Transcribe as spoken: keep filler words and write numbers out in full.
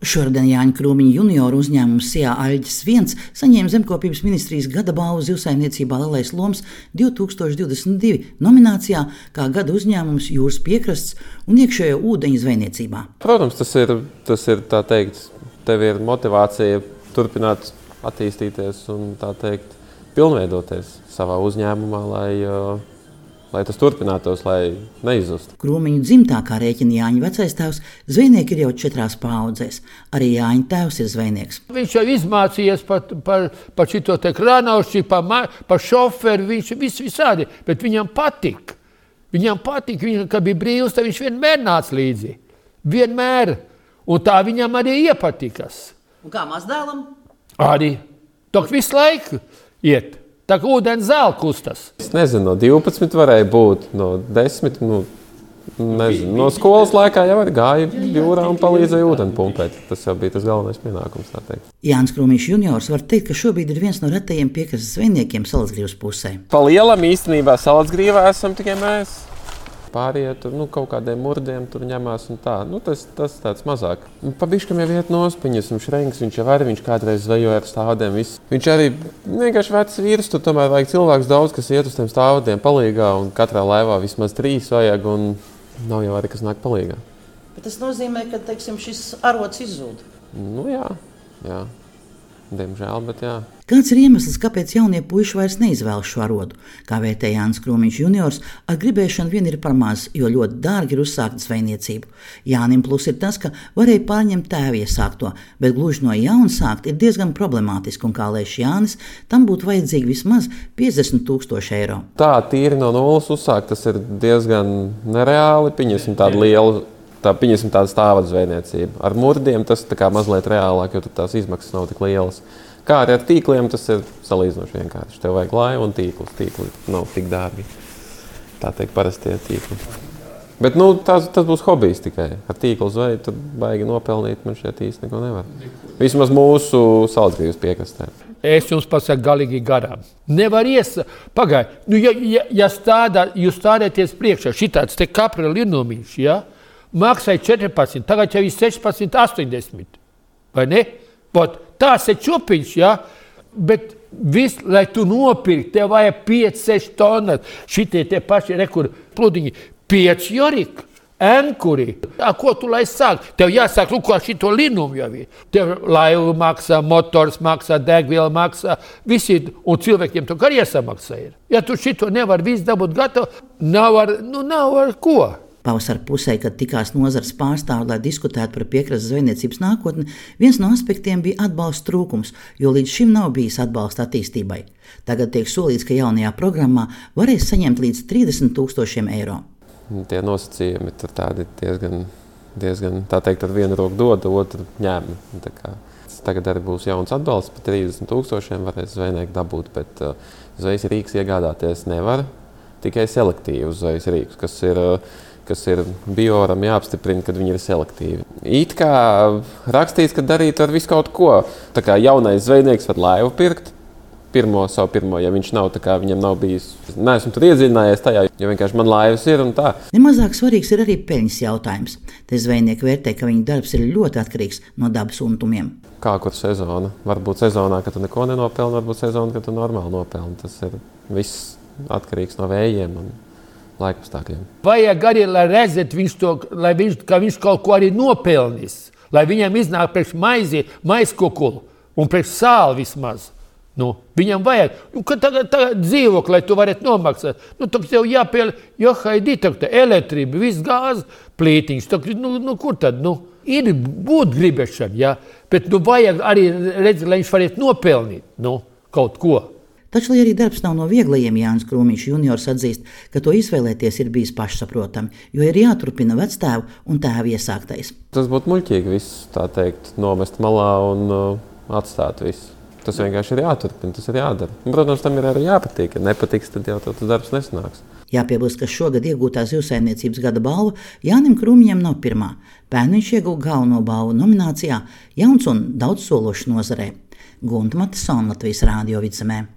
Šodien Jāņa Krūmiņa junioru uzņēmums Sijā Aļģis viens saņēma Zemkopības ministrijas gada balvu zivsaimniecībā Lielais Loms divi tūkstoši divdesmit divi nominācijā kā gada uzņēmums jūras piekrasts un iekšējo ūdeņu zvejniecībā. Protams, tas ir, tas ir tā teikt, tev ir motivācija turpināt attīstīties un tā teikt pilnveidoties savā uzņēmumā, lai lai tas turpinātos, lai neizzustu. Krūmiņu dzimtākā rēķina Jāņa vecais tēvs, zvejnieki ir jau četrās paaudzēs. Arī Jāņa tēvs ir zvejnieks. Viņš jau izmācījies par, par, par šito te krānaušķi, par, par šoferu, viņš vis, visādi, bet viņam patika. Viņam patika, viņš, kad bija brīvs, tad viņš vienmēr nāca līdzi. Vienmēr. Un tā viņam arī iepatikas. Un kā mazdēlam? Arī. Tok visu laiku iet. Tā kā ūdens zēl kustas. Es nezinu, no divpadsmit varēja būt, no desmit, nu, nezinu. No skolas laikā jau arī gāja jūrā un palīdzēja ūdeni pumpēt. Tas jau bija tas galvenais pienākums, tā teikt. Jānis Krūmiņš juniors var teikt, ka šobrīd ir viens no retajiem piekrastes zvejniekiem Salatsgrīvas pusē. Pa lielam īstenībā Salatsgrīvā esam tikai mēs. Pārējie tur, nu, kaut kādiem murdiem tur ņemās un tā. Nu, tas, tas tāds mazāk. Pa biškam jau iet nospiņas, un Šrenks, viņš jau arī, viņš kādreiz zvejoja ar stāvadiem. Viss. Viņš arī vienkārši vecs vīrs, tur tomēr vajag cilvēks daudz, kas iet uz tiem stāvadiem palīgā, un katrā laivā vismaz trīs vajag, un nav jau arī, kas nāk palīgā. Bet tas nozīmē, ka, teiksim, šis arots izzūd. Nu jā, jā. Diemžēl, bet jā. Kāds ir iemesls, kāpēc jaunie puiši vairs neizvēlas šo arodu? Kā vērtē Jānis Krūmiņš juniors, ar gribēšanu vien ir par maz, jo ļoti dārgi ir uzsākt zvejniecību. Jānim plus ir tas, ka varēja pārņemt tēvi iesākto, bet gluži no jauna sākt ir diezgan problemātiski, un kā lēš Jānis, tam būtu vajadzīgi vismaz piecdesmit tūkstoši eiro. Tā tīri no nulles uzsākt, tas ir diezgan nereāli, pieņemsim tādu lielu, tā pieņemsim tādu stāvadu zvejniecību. Ar murdiem tas tā kā mazliet reālāk, jo tās izmaksas nav tik lielas. Kā arī ar tīkliem, tas ir salīdzinoši vienkārši. Tev vajag laivu un tīklus. Tīkli nav tik dārgi. Tā teikt, parastie tīkli. Bet nu, tas, tas būs hobijs tikai. Ar tīklu zveju tur baigi nopelnīt, man šeit īsti neko nevar. Vismaz mūsu Salatsgrīvas piekrastē. Es jums pasaku galīgi garām. Nevar ies... Pagaid, nu, ja, ja, ja stādā, jūs stādēties priekšā, šitāds te kapra linumiņš, ja? Maksāja četrpadsmit, tagad jau ir sešpadsmit, astoņdesmit. Vai ne? Pot, tās ir čupiņš, ja? Bet viss, lai tu nopirkt, tev vajag pieci, seši tonnas. Šitie tie paši rekur pludiņi. pieci joriki, enkuri. A, ko tu lai sāk? Tev jāsāk, lūk, ar šito linumu jau ir. Tev laivu maksā, motors maksā, degviela maksā, visi, un cilvēkiem to arī jāsamaksā ir. Ja tu šito nevar visu dabūt gatavu, nav ar, nu, nav ar ko. Pavasara pusē, kad tikās nozares pārstāvji, lai diskutētu par piekrastes zvejniecības nākotni, viens no aspektiem bija atbalsta trūkums, jo līdz šim nav bijis atbalsta attīstībai. Tagad tiek solīts, ka jaunajā programmā varēs saņemt līdz trīsdesmit tūkstošiem eiro. Tie nosacījumi ir tādi diezgan, diezgan, tā teikt, ar vienu roku dod, otru ņēma. Tā kā tagad arī būs jauns atbalsts, par trīsdesmit tūkstošiem varēs zvejnieki dabūt, bet uh, zvejas rīks iegādāties nevar, tikai selektīvus zvejas rīkus, kas ir uh, kas ir bioram jāapstiprina, kad viņi ir selektīvi. It kā rakstīts, ka darīt ar visu kaut ko. Tā kā jaunais zvejnieks var laivu pirkt, pirmo, savu pirmo, ja viņš nav, tā kā viņam nav bijis. Neesmu tur iedziļinājies tajā, jo vienkārši man laivas ir un tā. Nemazāk svarīgs ir arī peļņas jautājums. Te zvejnieki vērtē, ka viņu darbs ir ļoti atkarīgs no dabas untumiem. Kā kur sezona? Varbūt sezonā, ka tu neko nenopelni, varbūt sezona, ka tu normāli nopelni. Tas ir viss atkarīgs no vējiem un laikapstākļiem. Vajag arī, lai redzēt, viņš to, lai viņš, ka viņš kaut ko arī nopelnis, lai viņam iznāk priekš maizi, maiskukulu un priekš sāli vismaz. Nu, viņam vajag, nu, ka tagad, tagad dzīvokli, lai tu varētu nomaksāt. Nu, tad tev jāpēl, jo haidī, tagad elektrība, viss gāzi plītiņš, tagad, nu, nu, kur tad, nu, ir būt gribešana, ja, bet, nu, vajag arī redzēt, lai viņš varētu nopelnīt, nu, kaut ko. Taču, lai arī darbs nav no vieglajiem, Jānis Krūmiņš juniors atzīst, ka to izvēlēties ir bijis pašsaprotami, jo ir jāturpina vectēvu un tēvu iesāktais. Tas būtu muļķīgi viss, tā teikt, nomest malā un uh, atstāt visu. Tas vienkārši ir jāturpina, tas ir jādara. Un, protams, tam ir arī jāpatīk. Ja nepatiks, tad jau tas darbs nesanāks. Jāpiebilst, ka šogad iegūtā zivsaimniecības gada balva Jānim Krūmiņam nav pirmā. Pērn viņš ieguva galveno balvu nominācijā Jauns un daudzsološs nozarē. Gunta Matisona, Latvijas Rādio Vidzemē.